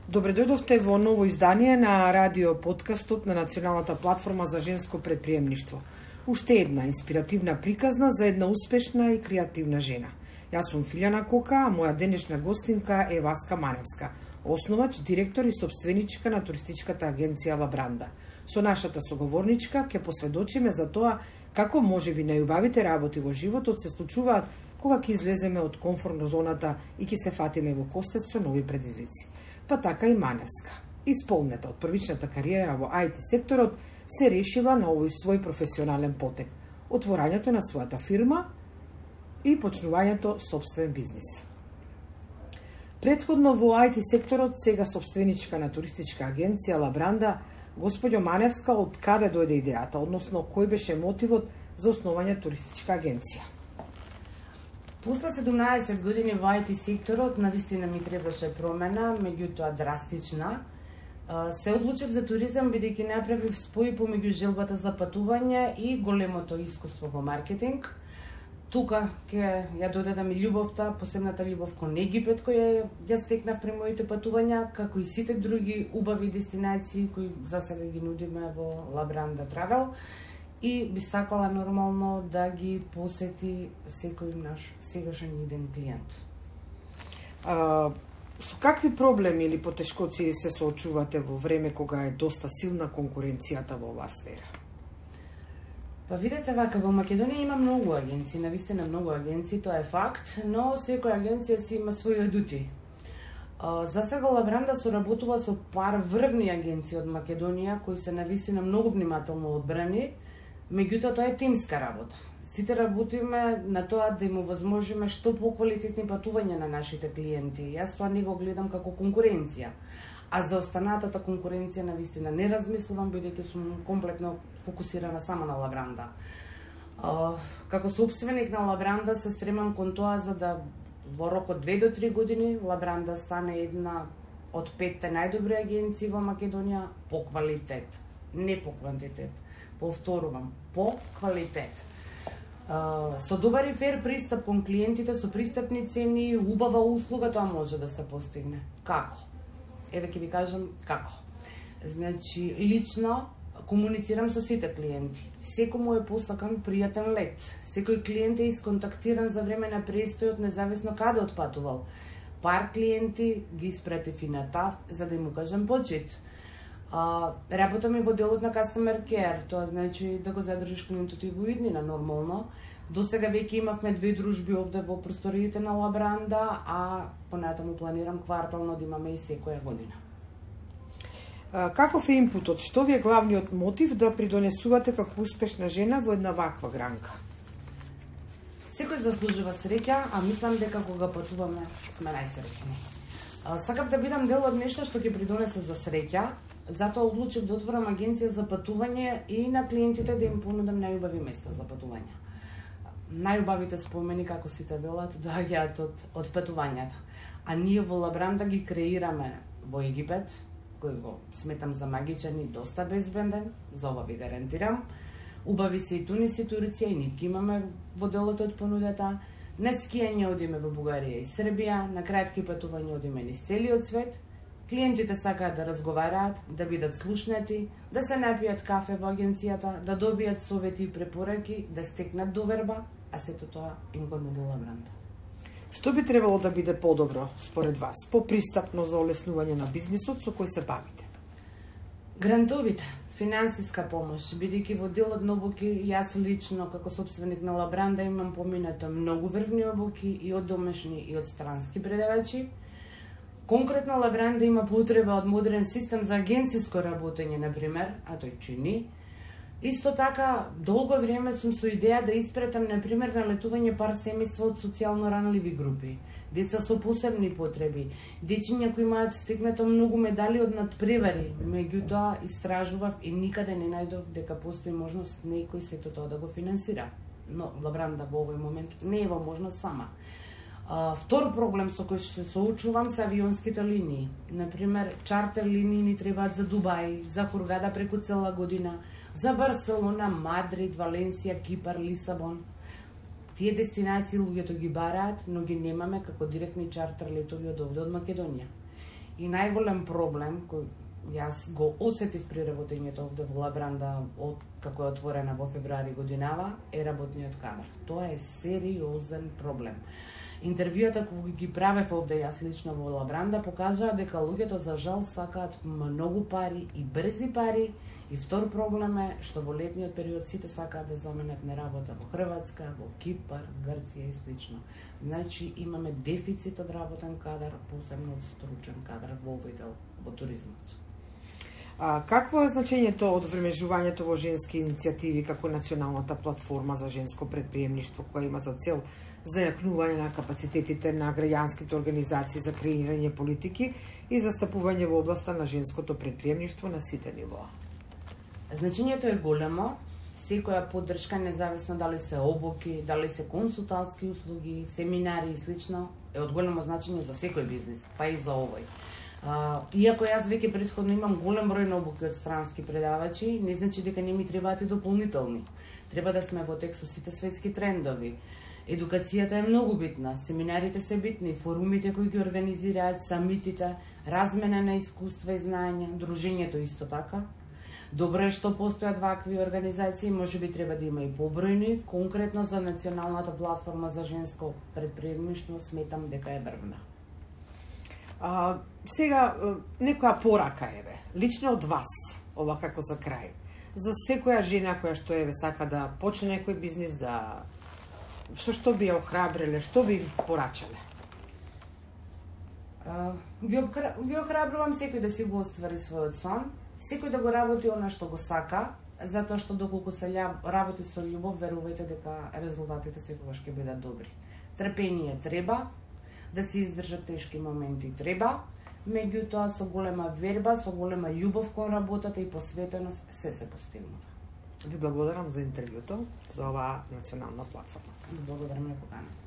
Добре дојдовте во ново издание на радио подкастот на Националната платформа за женско предприемништво. Уште една инспиративна приказна за една успешна и креативна жена. Јас сум Филјана Кока, а моја денешна гостинка е Васка Маневска, основач, директор и собственичка на туристичката агенција Лабранда. Со нашата соговорничка ќе посведочиме за тоа како можеби најубавите работи во животот се случуваат кога ќе излеземе од комфортно зоната и ќе се фатиме во костец со нови предизвици. Па така и Маневска. Исполнета од првичната кариера во IT секторот се решила на овој свој професионален потек, отворањето на својата фирма и почнувањето собствен бизнис. Претходно во IT секторот, сега собственичка на туристичка агенција Лабранда, господјо Маневска, од каде дојде идејата, односно кој беше мотивот за основање туристичка агенција? После 17 години во IT секторот, навистина ми требаше промена, меѓутоа драстична. Се одлучив за туризам, бидејќи направив спој помеѓу желбата за патување и големото искуство во маркетинг. Тука ќе ја додадам и љубовта, посебната љубов кон Египет, која ја стекнав при моите патувања, како и сите други убави дестинации кои за сега ги нудиме во Лабранда Travel. И би сакала нормално да ги посети секој наш сегашен иден клиент. Со какви проблеми или потешкоци се соочувате во време кога е доста силна конкуренцијата во оваа сфера? Па видете вака, во Македонија има многу агенции, навистина многу агенции, тоа е факт, но секоја агенција си има своји адути. За сега Лабранда соработува со пар врвни агенции од Македонија, кои се навистина многу внимателно одбрани, меѓутоа тоа е тимска работа. Сите работиме на тоа да им овозможиме што поквалитетни патувања на нашите клиенти. Јас тоа не го гледам како конкуренција. А за останатата конкуренција навистина не размислувам, бидејќи сум комплетно фокусирана само на Лабранда. Како собственик на Лабранда се стремам кон тоа за да во рок од 2 до 3 години Лабранда стане една од 5 најдобри агенции во Македонија по квалитет, не по квантитет. Повторувам, по квалитет. Со добар и фер пристап кон клиентите, со пристапни цени, убава услуга, тоа може да се постигне. Како? Еве ќе ви кажам како. Значи, лично комуницирам со сите клиенти. Секој му е посакан пријатен лет. Секој клиент е исконтактиран за време на престојот, независно каде отпатувал. Пар клиенти ги испратив и на ТАВ, за да им кажам почит. Работам и во делот на Customer Care, тоа значи да го задржиш клиентот и во иднина нормално. До сега веќе имавме 2 дружби овде во просториите на Лабранда, а понатаму планирам квартално да имаме и секоја година. Каков е импутот? Што ви е главниот мотив да придонесувате како успешна жена во една ваква гранка? Секој заслужува среќа, а мислам дека кога патуваме сме најсреќни. Сакав да бидам дел од нешто што ќе придонесе за среќа, затоа одлучив да отворам агенција за патување и на клиентите да им понудам најубави места за патување. Најубавите спомени, како сите велат, доаѓаат од патувањата. А ние во Лабранда ги креираме во Египет, кој го сметам за магичен и доста безбеден, за ова ви гарантирам. Убави се и Тунис и Турција, и нитки имаме во делот од понудата. На скијање одиме во Бугарија и Србија, на кратки патувања одиме низ целиот свет. Клиентите сакаат да разговараат, да бидат слушнати, да се напијат кафе во агенцијата, да добијат совети и препораки, да стекнат доверба, а сето тоа им го нуди Лабранда. Што би требало да биде подобро, според вас, попристапно за олеснување на бизнисот со кој се бавите? Грантовите, финансиска помош, бидејќи во делот на обуки, јас лично, како собственик на Лабранда, имам поминато многу врвни обуки и од домашни и од странски предавачи. Конкретно Лабранда има потреба од модерен систем за агенциско работење, например, а тој чини. Исто така, долго време сум со идеја да испретам, например, на летување пар семејства од социјално ранливи групи, деца со посебни потреби, дечиња кои имаат стигнато многу медали од надпревари, меѓутоа истражував и никаде не најдов дека постои можност некој сето тоа да го финансира. Но Лабранда во овој момент не е во можност сама. Втор проблем со кој се соочувам се авионските линии. Например, чартер линии ни требаат за Дубај, за Хургада преку цела година, за Барселона, Мадрид, Валенсија, Кипар, Лисабон. Тие дестинации луѓето ги бараат, но ги немаме како директни чартер летови од овде од Македонија. И најголем проблем кој јас го осетив при работењето овде во Лабранда како е отворена во февруари годинава е работниот кадар. Тоа е сериозен проблем. Интервјуата кои ги правев овде јас лично во Лабранда покажаа дека луѓето за жал сакаат многу пари и брзи пари. И втор проблем е што во летниот период сите сакаат да заменат на работа во Хрватска, во Кипар, Грција и слично. Значи имаме дефицит од работен кадар, посебно од стручен кадар во овој дел во туризмот. Какво е значењето од времежувањето во женски иницијативи како националната платформа за женско предприемништво која има за цел зајакнување на капацитетите на граѓанските организации за креирање политики и застапување во областа на женското предприемништво на сите нивоа? Значењето е големо. Секоја поддршка, независно дали се обуки, дали се консултантски услуги, семинари и слично, е од големо значење за секој бизнис, па и за овој. Иако јас веќе претходно имам голем број на обуки од странски предавачи, не значи дека не ми требаат и дополнителни. Треба да сме во тек со сите светски трендови. Едукацијата е многу битна, семинарите се битни, форумите кои ги организираат, самитите, размена на искуства и знаења, дружењето исто така. Добро е што постојат вакви организации, можеби треба да има и побројни, конкретно за националната платформа за женско предприемништво сметам дека е врвна. Сега, некоја порака еве, лично од вас, ова како за крај, за секоја жена која што еве сака да почне некој бизнис, да што би ја охрабриле, што би порачале? Ги охрабрувам секој да си го оствари својот сон, секој да го работи она што го сака, затоа што доколку се работи со љубов, верувајте дека резултатите секогаш ќе бидат добри. Трпение треба, да се издржат тешки моменти треба, меѓутоа со голема верба, со голема љубов кон работата и посветеност се постигнува. Ви благодарам за интервјуто, за оваа национална платформа. Благодарам на поканата.